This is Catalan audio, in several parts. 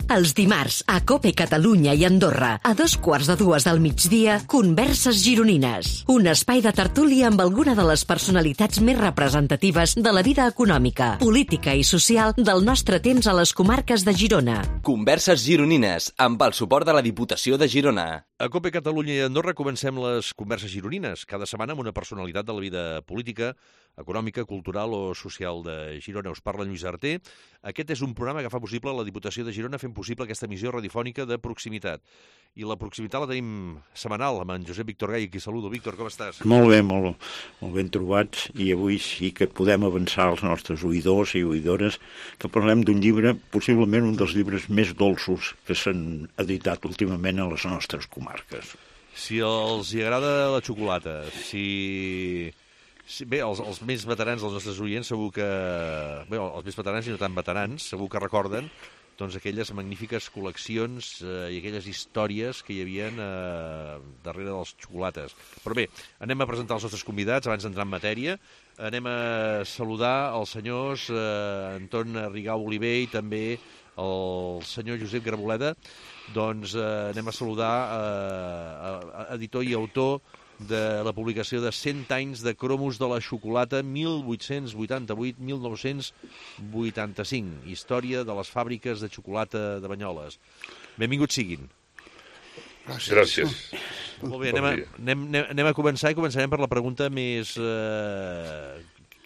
Els dimarts, a COPE Catalunya i Andorra, a 2:15 del migdia, Converses Gironines. Un espai de tertúlia amb alguna de les personalitats més representatives de la vida econòmica, política i social del nostre temps a les comarques de Girona. Converses Gironines, amb el suport de la Diputació de Girona. A COPE Catalunya i Andorra comencem les Converses Gironines, cada setmana amb una personalitat de la vida política, econòmica, cultural o social de Girona. Us parla Lluís Arter. Aquest és un programa que fa possible la Diputació de Girona fent possible aquesta emissió radiofònica de proximitat. I la proximitat la tenim setmanal amb en Josep Víctor Gai, qui saludo. Víctor, com estàs? Molt bé, molt ben trobats, i avui sí que podem avançar als nostres oïdors i oïdores que parlem d'un llibre, possiblement un dels llibres més dolços que s'han editat últimament a les nostres comarques. Si els hi agrada la xocolata, bé, els més veterans dels nostres oients segur que... Bé, els més veterans i no tan veterans segur que recorden doncs aquelles magnífiques col·leccions i aquelles històries que hi havia darrere dels xocolates. Però bé, anem a presentar els nostres convidats abans d'entrar en matèria. Anem a saludar els senyors Anton Rigau Oliver i també el senyor Josep Garboleda. Doncs anem a saludar editor i autor de la publicació de 100 anys de cromos de la xocolata 1888-1985, història de les fàbriques de xocolata de Banyoles. Benvinguts siguin. Gràcies. Molt bé, anem a començar i començarem per la pregunta més...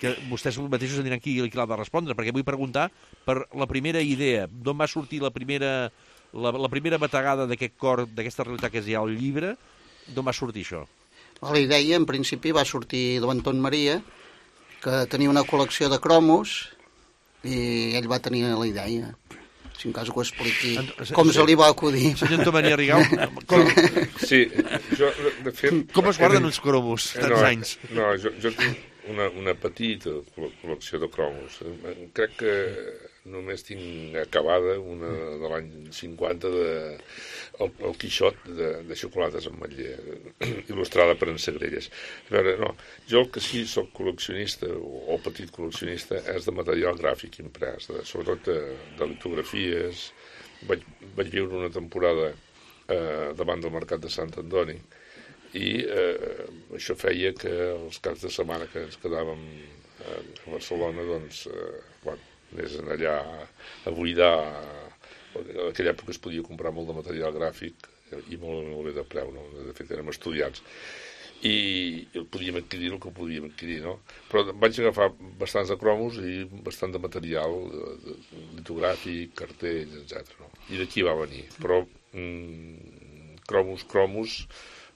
que vostès mateixos diran qui l'ha de respondre, perquè vull preguntar per la primera idea, d'on va sortir la primera bategada d'aquest cor, d'aquesta realitat que és ja el llibre, d'on va sortir això? La idea, en principi, va sortir d'Anton Maria, que tenia una col·lecció de cromos, i ell va tenir la idea. Si en cas ho expliqui, com se li va acudir. Senyor Anton Maria Rigau, Sí, jo, de fet... Com es guarden uns cromos tants anys? No, jo tinc una petita col·lecció de cromos. Crec que només tinc acabada una de l'any 50 el Quixot de xocolates amb ametller, il·lustrada per en Segrelles. A veure, no, jo el que sí soc col·leccionista, o petit col·leccionista, és de material gràfic imprès, sobretot de litografies. Vaig viure una temporada davant del Mercat de Sant Antoni, i això feia que els caps de setmana que ens quedàvem a Barcelona, doncs, anés allà a buidar. En aquella època es podia comprar molt de material gràfic i molt bé de preu, no? De fet, érem estudiants. I podíem adquirir el que podíem adquirir, no? Però vaig agafar bastants de cromos i bastant de material litogràfic, cartells, etc. No? I d'aquí va venir. Però cromos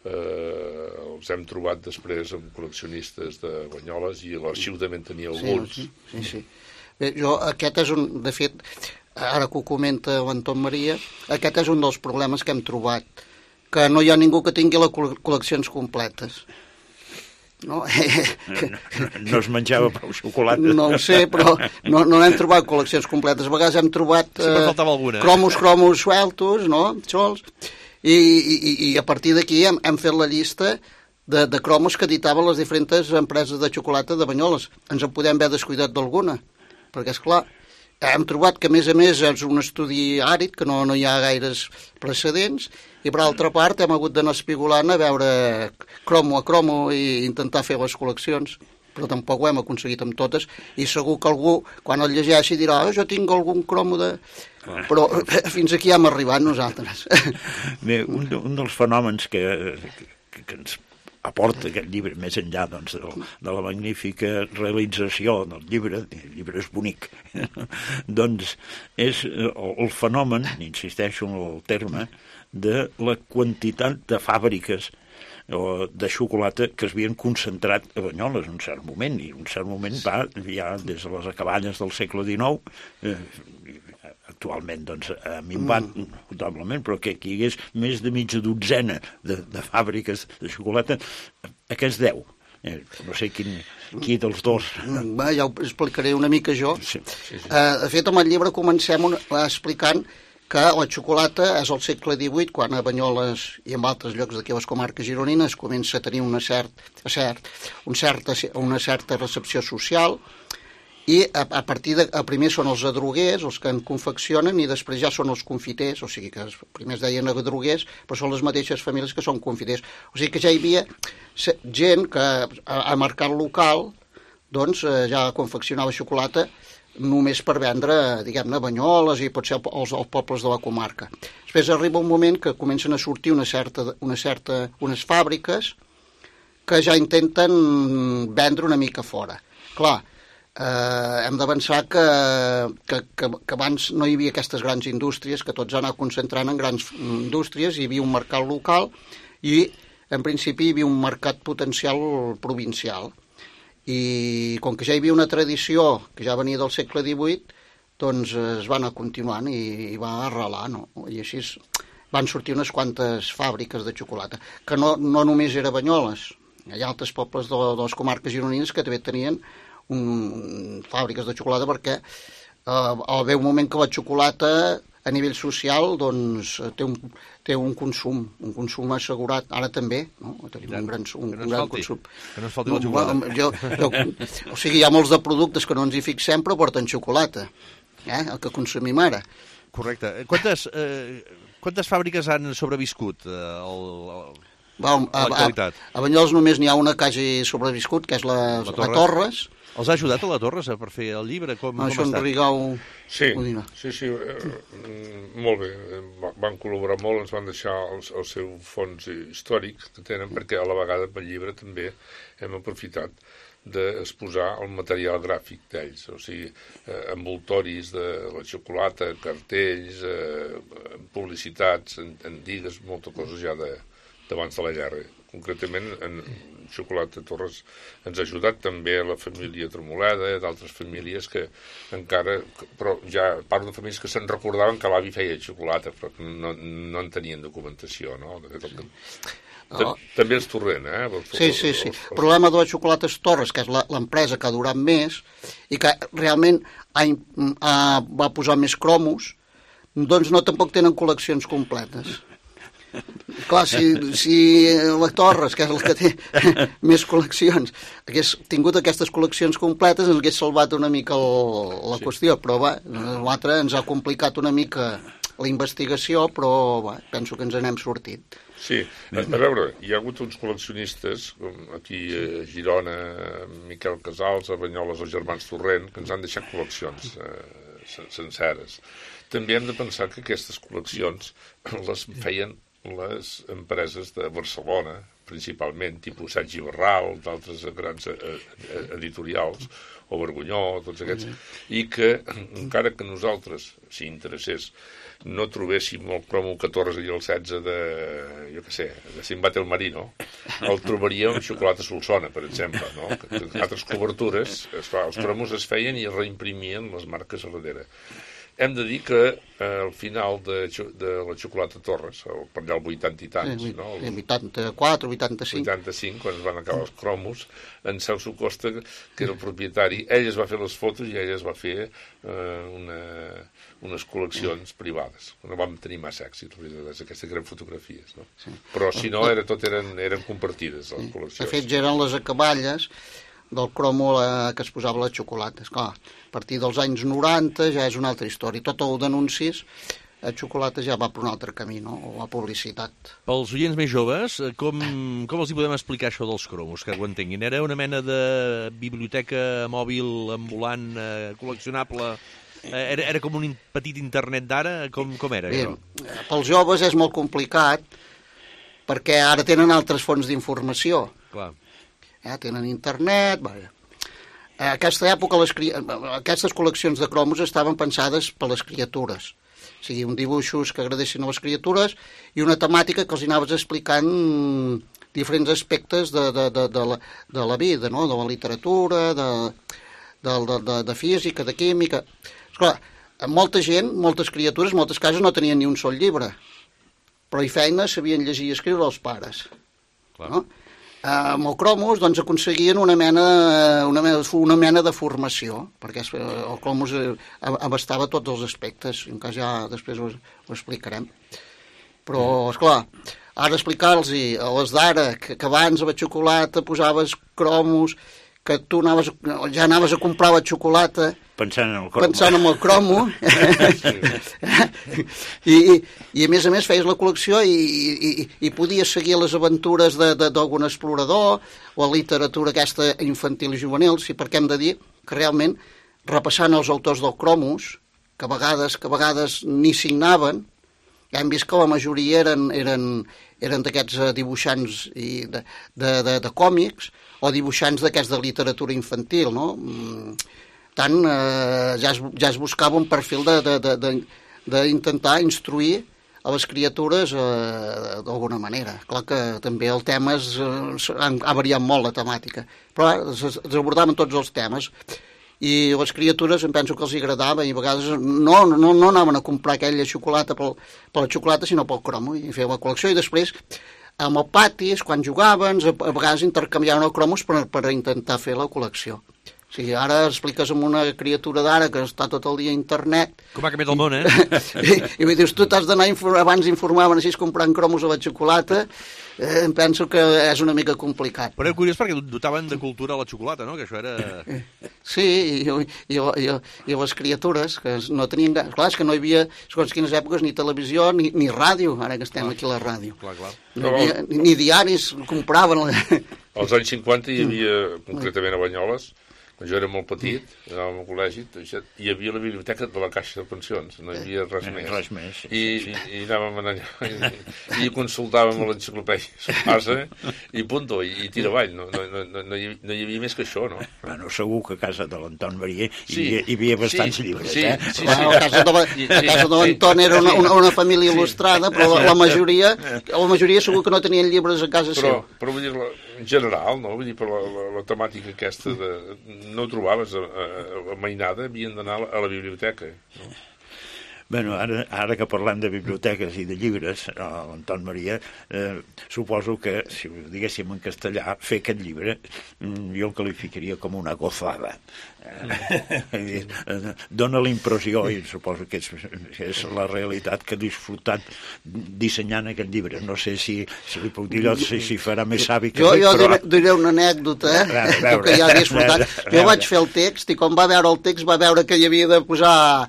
els hem trobat després amb col·leccionistes de Banyoles, i l'arxiu també en tenia alguns. Sí. Bé, aquest és un... De fet, ara que ho comenta l'Anton Maria, aquest és un dels problemes que hem trobat, que no hi ha ningú que tingui les col·leccions completes. No es menjava prou xocolata. No ho sé, però no hem trobat col·leccions completes. A vegades hem trobat cromos sueltos, no? Sols. I a partir d'aquí hem fet la llista de cromos que editaven les diferents empreses de xocolata de Banyoles. Ens en podem haver descuidat d'alguna, perquè, esclar, hem trobat que, a més, és un estudi àrid, que no hi ha gaires precedents, i, per altra part, hem hagut d'anar espigolant a veure cromo a cromo i intentar fer les col·leccions, però tampoc ho hem aconseguit amb totes, i segur que algú, quan el llegeixi, dirà jo tinc algun cromo de... Però fins aquí hem arribat nosaltres. Bé, un dels fenòmens que ens aporta aquest llibre, més enllà doncs, de la magnífica realització del llibre, el llibre és bonic, doncs és el fenomen, insisteixo en el terme, de la quantitat de fàbriques de xocolata que es havien concentrat a Banyoles en un cert moment, i un cert moment va ja des de les acaballes del segle XIX, actualment doncs ha minvat notablement, però que hi hagués més de mitja dotzena de fàbriques de xocolata, aquests 10. No sé qui dels dos. Ja ho explicaré una mica jo. De fet, amb el llibre comencem explicant que la xocolata és al segle XVIII, quan a Banyoles i en altres llocs d'aquí a les comarques gironines comença a tenir una certa recepció social, i a partir de... Primer són els adroguers, els que en confeccionen, i després ja són els confiters, o sigui que primer es deien adroguers, però són les mateixes famílies que són confiters. O sigui que ja hi havia gent que a mercat local doncs ja confeccionava xocolata només per vendre, diguem-ne, Banyoles i potser els pobles de la comarca. Després arriba un moment que comencen a sortir unes fàbriques que ja intenten vendre una mica fora. Clar, hem de pensar que abans no hi havia aquestes grans indústries, que tots han anat concentrant en grans indústries, hi havia un mercat local i, en principi, hi havia un mercat potencial provincial. I com que ja hi havia una tradició que ja venia del segle XVIII, doncs es va anar continuant i va arrelar, no? I així van sortir unes quantes fàbriques de xocolata, que no només era Banyoles. Hi ha altres pobles de les comarques gironines que també tenien fàbriques de xocolata, perquè al veu moment que la xocolata a nivell social doncs té un consum assegurat, ara també, no? Tenim un gran consum. Que no ens falti la xocolata. O sigui, hi ha molts de productes que no ens hi fixem però porten xocolata, el que consumim ara. Correcte. Quantes fàbriques han sobreviscut a l'actualitat? A Banyoles només n'hi ha una que hagi sobreviscut, que és la Torres. Els ha ajudat a la Torres a per fer el llibre? Com ha estat? Rigau... Sí, molt bé. Van col·laborar molt, ens van deixar el seu fons històric que tenen, perquè a la vegada pel llibre també hem aprofitat d'exposar el material gràfic d'ells, o sigui, envoltoris de la xocolata, cartells, publicitats, en digues, moltes coses ja d'abans de la guerra. Concretament, en Xocolata Torres ens ha ajudat també la família Tremoleda, d'altres famílies que encara... Però ja parlo de famílies que se'n recordaven que l'avi feia xocolata, però que no en tenien documentació, no? També els Torrent, Sí. El problema de les Xocolates Torres, que és l'empresa que ha durat més i que realment va posar més cromos, doncs tampoc tenen col·leccions completes. Clar, si la Torres, que és el que té més col·leccions, hagués tingut aquestes col·leccions completes, ens hagués salvat una mica la qüestió, però l'altre ens ha complicat una mica la investigació, però penso que ens n'hem sortit. Sí, a veure, hi ha hagut uns col·leccionistes, com aquí a Girona, Miquel Casals, a Banyoles, els germans Torrent, que ens han deixat col·leccions senceres. També hem de pensar que aquestes col·leccions les feien les empreses de Barcelona, principalment, tipus Sergi Barral, d'altres grans editorials, o Vergonyó, tots aquests, i que, encara que nosaltres, si interessés, no trobéssim el cromo 14 i el 16 de, jo què sé, de Simbate el Marino, el trobaríem amb Xocolata Solsona, per exemple, no? Que altres cobertures, els cromos es feien i es reimprimien les marques a darrere. Hem de dir que al final de la Xocolata Torres, per allà el 80 i tants, no? 84, 85. 85, quan es van acabar els cromos, en Celso Costa, que era el propietari, ell es va fer les fotos i ell es va fer unes col·leccions privades. No vam tenir massa èxit, aquestes grans fotografies, no? Però si no, tot eren compartides, les col·leccions. De fet, eren les acaballes del cromo que es posava les xocolates. Clar, a partir dels anys 90 ja és una altra història. Tot el d'anuncis, la xocolata ja va per un altre camí, no? O la publicitat. Pels oients més joves, com els hi podem explicar això dels cromos, que ho entenguin? Era una mena de biblioteca mòbil ambulant col·leccionable? Era com un petit internet d'ara? Com era això? Pels joves és molt complicat perquè ara tenen altres fonts d'informació. Clar. Tenen internet... En aquesta època aquestes col·leccions de cromos estaven pensades per les criatures. O sigui, uns dibuixos que agradessin a les criatures i una temàtica que els anaves explicant diferents aspectes de la vida, no? De la literatura, de física, de química... Esclar, molta gent, moltes criatures, moltes cases no tenien ni un sol llibre, però i feina sabien llegir i escriure els pares. Clar. No? Amb el cromos doncs, aconseguien una mena de formació, perquè el cromos abastava tots els aspectes, en cas ja després ho explicarem. Però, esclar, ara explicar-los a les d'ara, que abans a la xocolata posaves cromos, que tu ja anaves a comprar la xocolata pensant en el cromo. I a més feies la col·lecció i podies seguir les aventures d'algun explorador o la literatura aquesta infantil i juvenil, perquè hem de dir que realment, repassant els autors del cromos, que a vegades ni signaven, hem vist que la majoria eren d'aquests dibuixants de còmics o dibuixants d'aquests de literatura infantil, no? Tant, ja es buscava un perfil d'intentar instruir a les criatures d'alguna manera. Clar que també el tema ha variat molt, la temàtica, però es abordaven tots els temes. I les criatures em penso que els agradava i a vegades no anaven a comprar aquella xocolata per la xocolata, sinó pel cromo, i feien la col·lecció. I després, amb el patis, quan jugaven, a vegades intercanviaven els cromos per intentar fer la col·lecció. O sigui, ara expliques amb una criatura d'ara que està tot el dia a internet... Com ha canviat el món, I dius, tu t'has d'anar, abans informaven així comprant cromos a la xocolata, em penso que és una mica complicat. Però és curiós perquè dotaven de cultura la xocolata, no? Que això era... Sí, i les criatures, que no tenien... Clar, és que no hi havia, segons quines èpoques, ni televisió ni ràdio, ara que estem aquí a la ràdio. Clar. No hi havia, ni diaris, compraven... Als anys 50 hi havia, concretament a Banyoles, quan jo era molt petit, anàvem al col·legi, hi havia la biblioteca de la Caixa de Pensions, no hi havia res més. I anàvem allà, i consultàvem l'enciclopèdia Espasa, i punto, i tira avall, no hi havia més que això, no? Bueno, segur que a casa de l'Anton Maria hi havia bastants llibres, Sí. A casa de l'Anton era una família il·lustrada, però la majoria segur que no tenien llibres a casa seva. Però vull dir, en general, no? Vull dir, per la temàtica aquesta no trobaves a mainada, havien d'anar a la biblioteca, no? Bueno, ara que parlem de biblioteques i de llibres, l'Anton Maria, suposo que, si ho diguéssim en castellà, fer aquest llibre jo el qualificaria com una gozada. Dóna la impressió, i suposo que és la realitat, que ha disfrutat dissenyant aquest llibre. No sé si li puc dir allò, si farà més savi que jo diré una anècdota, que ja he disfrutat. Jo vaig fer el text i quan va veure el text va veure que hi havia de posar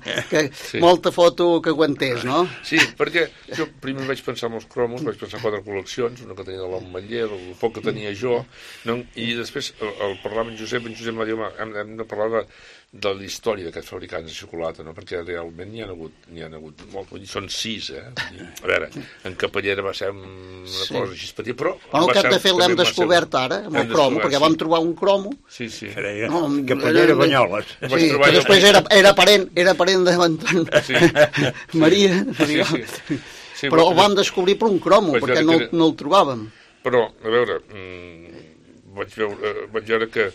molta foto que aguantés, no? Sí, perquè jo primer vaig pensar en els cromos, vaig pensar en 4 col·leccions, una que tenia de l'Ametller, el poc que tenia jo, i després al parlar amb en Josep va dir, hem de parlar de la història d'aquests fabricants de xocolata, no? Perquè realment n'hi ha hagut molt, vull dir, són 6, A veure, en Capellera va ser una cosa així petita, però... Bueno, el que hem de fer l'hem descobert ara, amb el cromo, perquè vam trobar un cromo... Sí. Capellera Banyoles. Sí, que després era parent de l'Anton Maria, però el vam descobrir per un cromo, perquè no el trobàvem. Però, a veure, vaig veure que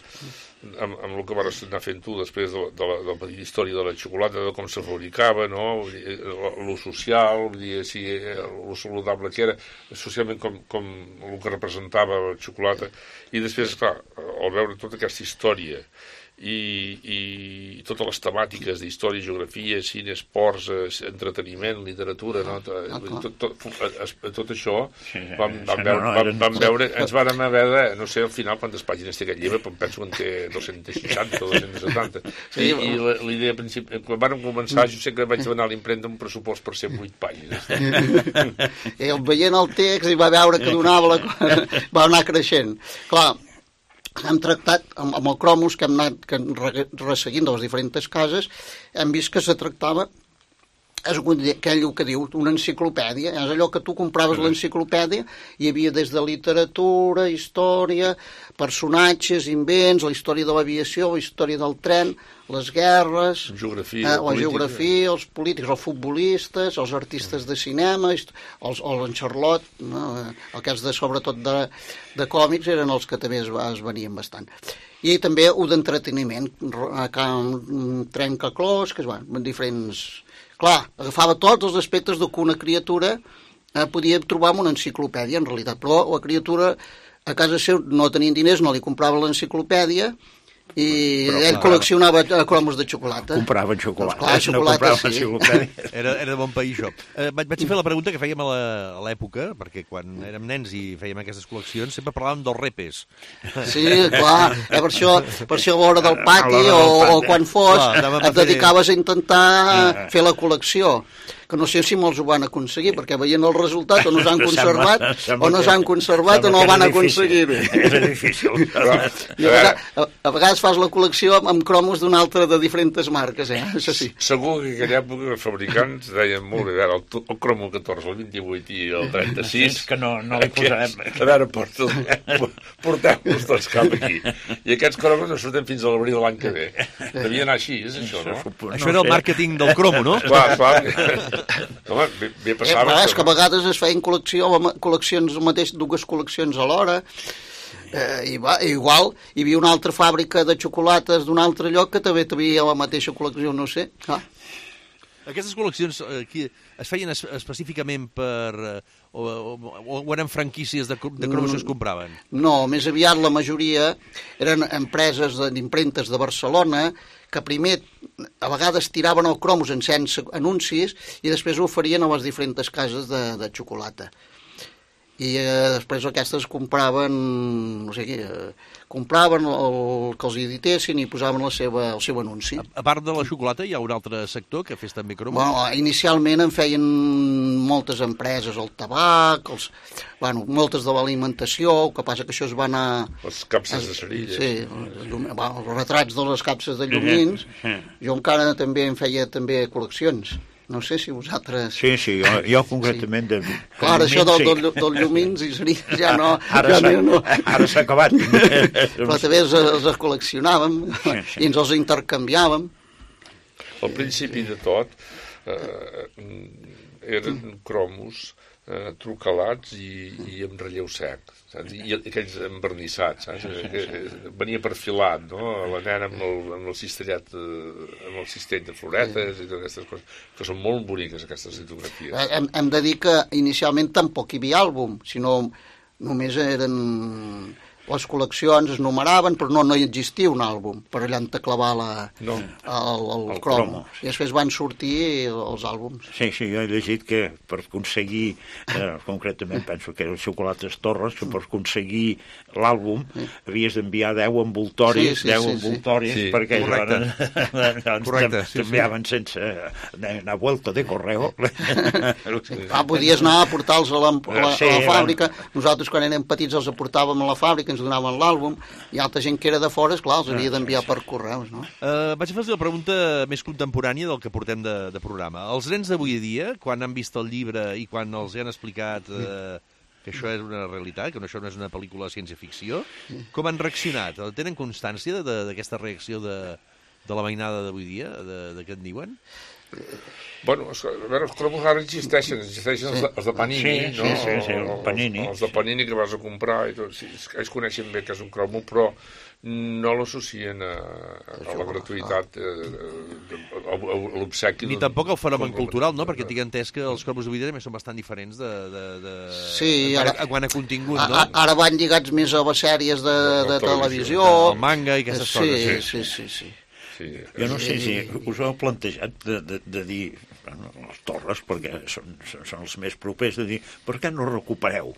amb el que vas anar fent tu després de la petita història de la xocolata, de com se fabricava, no? Lo social, lo saludable que era, socialment com el que representava la xocolata, i després, clar, al veure tota aquesta història i totes les temàtiques d'història, geografia, cine, esports, entreteniment, literatura, no? Tot això vam veure, ens vàrem haver de, no sé, al final quantes pàgines té aquest llibre, però penso que en té 260 o 270, i la idea principal, quan vàrem començar, jo sé que vaig demanar a l'impremta un pressupost per 108 pàgines. I veient el text i va veure que donava va anar creixent. Clar, hem tractat, amb el cromos que hem anat resseguint de les diferents cases, hem vist que se tractava, és aquell que diu una enciclopèdia, és allò que tu compraves l'enciclopèdia, hi havia des de literatura, història, personatges, invents, la història de l'aviació, la història del tren, les guerres, la geografia, els polítics, els futbolistes, els artistes de cinema, en Charlotte, no? El que és sobretot de còmics eren els que també es venien bastant. I també d'entreteniment, trencaclós, que es diferents... Clar, agafava tots els aspectes que una criatura podia trobar en una enciclopèdia, en realitat, però la criatura a casa seu no tenien diners, no li comprava l'enciclopèdia I ell col·leccionava cromos de xocolata. Compraven xocolata. Clar, xocolata, sí. Era de bon país, això. Vaig fer la pregunta que fèiem a l'època, perquè quan érem nens i fèiem aquestes col·leccions sempre parlàvem dels repes. Sí, clar, per això a l'hora del pati o quan fos et dedicaves a intentar fer la col·lecció, que no sé si molts ho van aconseguir, perquè veient el resultat o no s'han conservat o no s'han conservat o no van aconseguir bé. Era difícil. A vegades fas la col·lecció amb cromos d'una altra de diferents marques, això sí. Segur que en aquella època els fabricants deien molt bé, el cromo 14, el 28 i el 36... Que no li posarem... A veure, porteu-los tots cap aquí. I aquests cromos no surten fins a l'abril de l'any que ve. Devia anar així, és això, no? Això era el màrqueting del cromo, no? Clar. Home, bé passava... És que a vegades es feien col·leccions, dues col·leccions alhora, igual hi havia una altra fàbrica de xocolates d'un altre lloc que també tenia la mateixa col·lecció, no sé. Aquestes col·leccions es feien específicament per... o eren franquícies de cromos que es compraven? No, més aviat la majoria eren empreses d'impremtes de Barcelona que primer a vegades tiraven el cromos sense anuncis i després ho oferien a les diferents cases de xocolata. I després aquestes compraven, no sé què, compraven el que els editessin i posaven el seu anunci. A part de la xocolata hi ha un altre sector que fes també cromos? Bueno, inicialment en feien moltes empreses, el tabac, moltes de l'alimentació, el que passa que això es va anar... Les capses de cerilles. Sí, els retrats de les capses de llumins. Jo encara també en feia col·leccions. No sé si vosaltres... Sí, jo concretament... Clar, això del llumins i cerilles ja no... Ara s'ha acabat. Però també els col·leccionàvem i ens els intercanviàvem. Al principi de tot eren cromos trucalats i amb relleu sec, saps? I aquells envernissats, saps? Venia perfilat, no? La nena amb el cistellet, amb el cistell de floretes i totes aquestes coses, que són molt boniques, aquestes litografies. Hem de dir que inicialment tampoc hi havia àlbum, sinó només eren... Les col·leccions es numeraven, però no hi existia un àlbum per allà on clavar el cromo. I després van sortir els àlbums. Sí, jo he llegit que per aconseguir, concretament penso que eren xocolates Torres, que per aconseguir l'àlbum havies d'enviar 10 envoltoris, perquè t'enviaven sense una vuelta de correu. Podies anar a portar-los a la fàbrica. Nosaltres quan érem petits els aportàvem a la fàbrica, ens donaven l'àlbum, i altra gent que era de fora, esclar, els havia d'enviar per correus, no? Vaig a fer-vos la pregunta més contemporània del que portem de programa. Els nens d'avui dia, quan han vist el llibre i quan els han explicat que això és una realitat, que això no és una pel·lícula de ciència-ficció, com han reaccionat? Tenen constància d'aquesta reacció de la mainada d'avui dia, de què en diuen? Bueno, a veure, els cromos ara existeixen els de Panini, no? Sí, el Panini. Els de Panini que vas a comprar i tot. Ells coneixen bé que és un cromo, però no l'associen a la gratuïtat, a l'obsequi. Ni tampoc al fenomen cultural, no? Perquè tinc entès que els cromos d'avui dia també són bastant diferents quant a contingut, no? Ara van lligats més a les sèries de televisió. El manga i aquestes coses. Sí. Jo no sé si us heu plantejat de dir, les Torres, perquè són els més propers, de dir, per què no recupereu?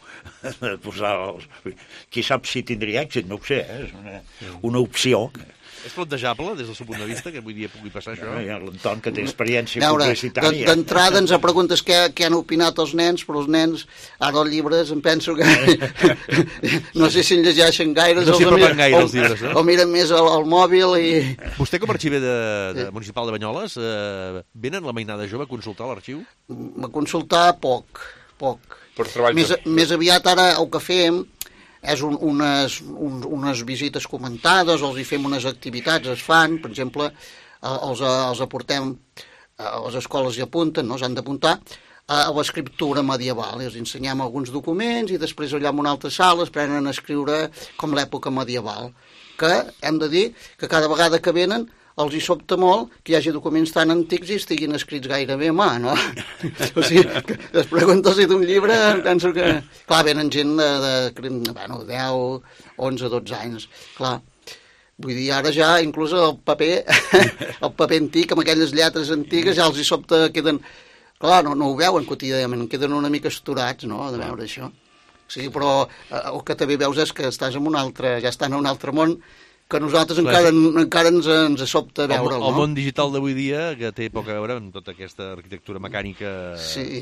Qui sap si tindria èxit, no ho sé, és una opció. És plantejable, des del seu punt de vista, que avui dia pugui passar això? Hi ha l'Anton, que té experiència publicitària. D'entrada ens preguntes què han opinat els nens, però els nens, ara els llibres, em penso que no sé si en llegeixen gaire. No s'hi apropen gaire els llibres, no? O miren més al mòbil i... Vostè, com a arxiver municipal de Banyoles, venen la mainada jove a consultar l'arxiu? A consultar poc. Més aviat ara el que fem és unes visites comentades, els hi fem unes activitats, es fan, per exemple, els aportem a les escoles i apunten, no? S'han d'apuntar a l'escriptura medieval, els ensenyem alguns documents i després allà en una altra sala es prenen a escriure com l'època medieval, que hem de dir que cada vegada que venen els hi sobta molt que hi hagi documents tan antics i estiguin escrits gairebé a mà, no? O sigui, les preguntes d'un llibre, penso que... Clar, venen gent de 10, 11, 12 anys, clar. Vull dir, ara ja, inclús el paper antic, amb aquelles lletres antigues, ja els hi sobte queden... Clar, no ho veuen quotidianament, queden una mica esturats, no?, de veure això. Sí, però el que també veus és que estàs en ja estan en un altre món, que nosaltres encara ens sobta veure'l, no? El món digital d'avui dia, que té poc a veure amb tota aquesta arquitectura mecànica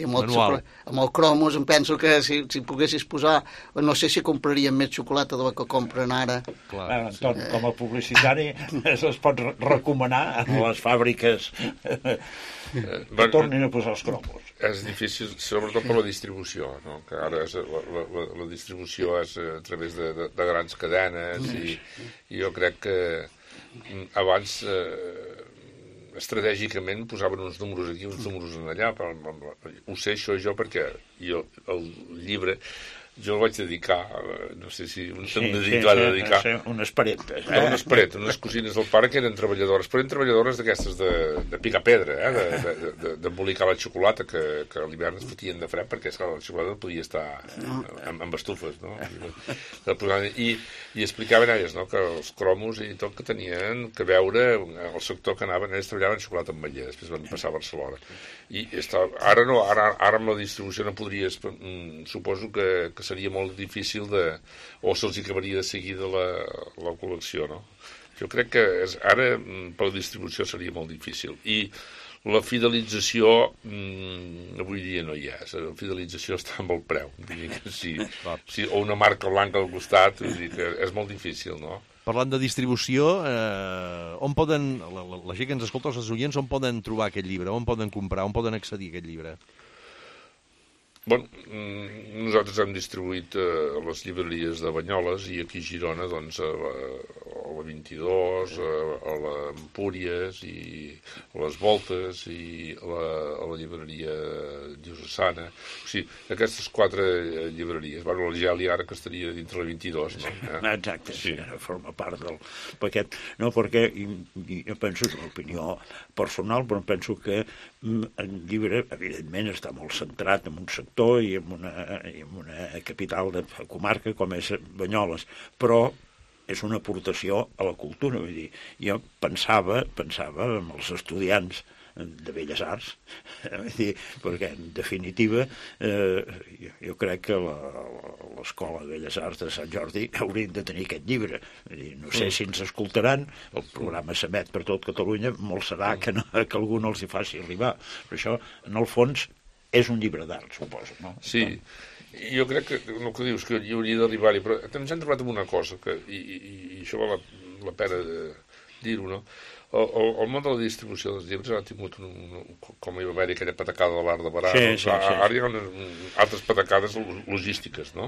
manual. Amb el cromos, em penso que si poguessis posar... No sé si compraríem més xocolata de la que compren ara. Anton, com a publicitari es pot recomanar a les fàbriques que tornin a posar els cromos. És difícil, sobretot per la distribució, no? Que ara la distribució és a través de grans cadenes i jo crec que abans estratègicament posaven uns números aquí, uns números allà. Ho sé això jo perquè el llibre jo el vaig dedicar, no sé si dedicar unes paretes. Unes paretes, unes cosines del pare que eren treballadores, però eren treballadores d'aquestes de picar pedra, d'embolicar la xocolata, que a l'hivern es fotien de fred, perquè la xocolata no podia estar amb estufes, no? I explicaven elles, no?, que els cromos i tot que tenien que veure el sector que anaven, ells treballaven xocolata amb ametller, després van passar a Barcelona. I ara no, ara amb la distribució no podries, suposo que seria molt difícil o se'ls acabaria de seguida la col·lecció, no? Jo crec que ara per la distribució seria molt difícil. I la fidelització avui dia no hi és. La fidelització està amb el preu. O una marca blanca al costat, és molt difícil, no? Parlant de distribució, on poden, la gent que ens escolta, els oients, on poden trobar aquest llibre? On poden comprar? On poden accedir a aquest llibre? Bueno, nosaltres hem distribuït a les llibreries de Banyoles i aquí a Girona, doncs, a la 22, a l'Empúries i a les Voltes i a la llibreria diocesana. O sigui, aquestes 4 llibreries. Bueno, la Gèlia ara que estaria dintre la 22, no? Exacte, sí, forma part del paquet. No, perquè jo penso, és una opinió personal, però penso que el llibre, evidentment, està molt centrat en un sector i en una capital de comarca com és Banyoles, però és una aportació a la cultura. Vull dir, jo pensava en els estudiants de Belles Arts, perquè en definitiva jo crec que l'Escola de Belles Arts de Sant Jordi haurien de tenir aquest llibre. No sé si ens escoltaran, el programa s'emet per tot Catalunya, molt serà que algú no els hi faci arribar, però això en el fons és un llibre d'art, suposo, no? Sí, jo crec que el que dius que hi hauria d'arribar-hi, però ens hem trobat amb una cosa i això val la pena dir-ho, no? El món de la distribució dels llibres ha tingut, com hi va haver aquella patacada de l'art de Barà, ara hi ha altres patacades logístiques, no?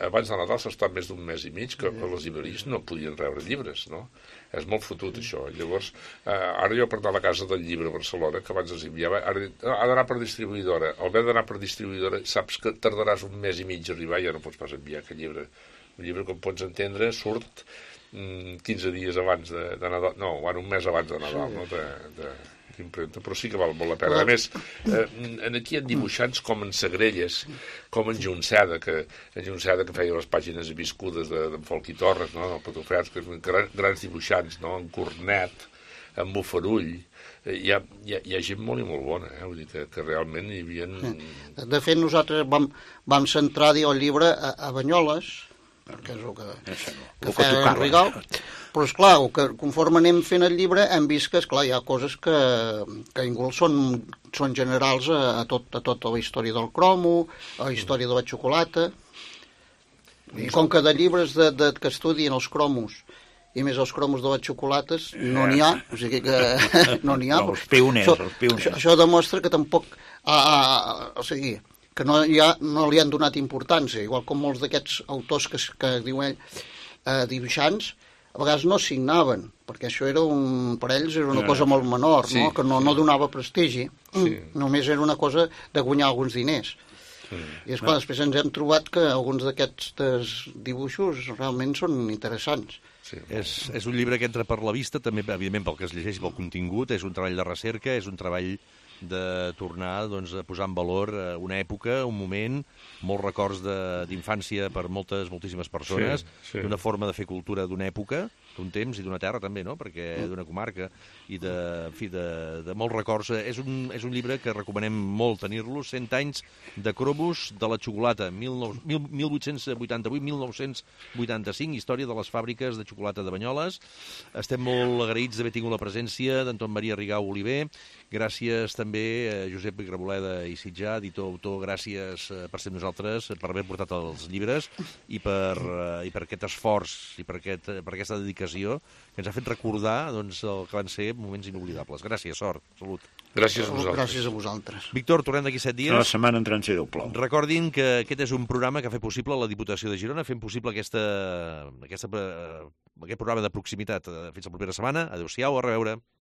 Abans de Nadal s'ha estat més d'un mes i mig que les llibreries no podien rebre llibres, no? És molt fotut, això. Llavors, ara jo per anar a la Casa del Llibre a Barcelona, que abans els enviava, ara ha d'anar per distribuïdora. Al haver d'anar per distribuïdora, saps que tardaràs un mes i mig a arribar i ja no pots pas enviar aquest llibre. Un llibre, com pots entendre, surt 15 dies abans de Nadal, no, un mes abans de Nadal, no? D'impremta, però sí que val molt la pena. A més, aquí hi ha dibuixants com en Sagrelles, com en Junceda, que feia les pàgines viscudes d'en Folch i Torres, no? El Patufers, que grans dibuixants, no? En Cornet, en Bofarull, hi ha gent molt i molt bona, vull dir que realment hi havia... De fet, nosaltres vam centrar el llibre a Banyoles, perquè és el que feia en Rigal, però esclar, conforme anem fent el llibre hem vist que esclar, hi ha coses que igual són generals a tota la història del cromo, a la història de la xocolata, i com que de llibres que estudien els cromos i més els cromos de les xocolates no n'hi ha, o sigui que no n'hi ha. Els pioners. Això demostra que tampoc, o sigui, que no li han donat importància, igual com molts d'aquests autors que diuen dibuixants, a vegades no signaven, perquè això per ells era una cosa molt menor, sí, no? Que no donava prestigi, només era una cosa de guanyar alguns diners. I esclar, després ens hem trobat que alguns d'aquests dibuixos realment són interessants. Sí, és un llibre que entra per la vista, també, evidentment, pel que es llegeix, pel contingut, és un treball de recerca, és un treball de tornar doncs, a posar en valor una època, un moment, molts records d'infància per moltíssimes persones, d'una forma de fer cultura d'una època, d'un temps i d'una terra també, no? Perquè d'una comarca i de molts records. És un llibre que recomanem molt tenir-lo, 100 anys de cromos de la xocolata, 1888-1985, història de les fàbriques de xocolata de Banyoles. Estem molt agraïts d'haver tingut la presència d'Anton Maria Rigau Oliver. Gràcies també a Josep Graboleda i Sitjà, editor, autor, gràcies per ser amb nosaltres, per haver portat els llibres i per aquest esforç i per aquesta dedicació que ens ha fet recordar doncs, el que van ser moments inoblidables. Gràcies, sort, salut. Gràcies a vosaltres. Gràcies a vosaltres. Víctor, tornem d'aquí 7 dies. La setmana entrant si Déu plou. Recordin que aquest és un programa que ha fet possible la Diputació de Girona, fent possible aquest programa de proximitat. Fins la propera setmana. Adéu-siau, a reveure.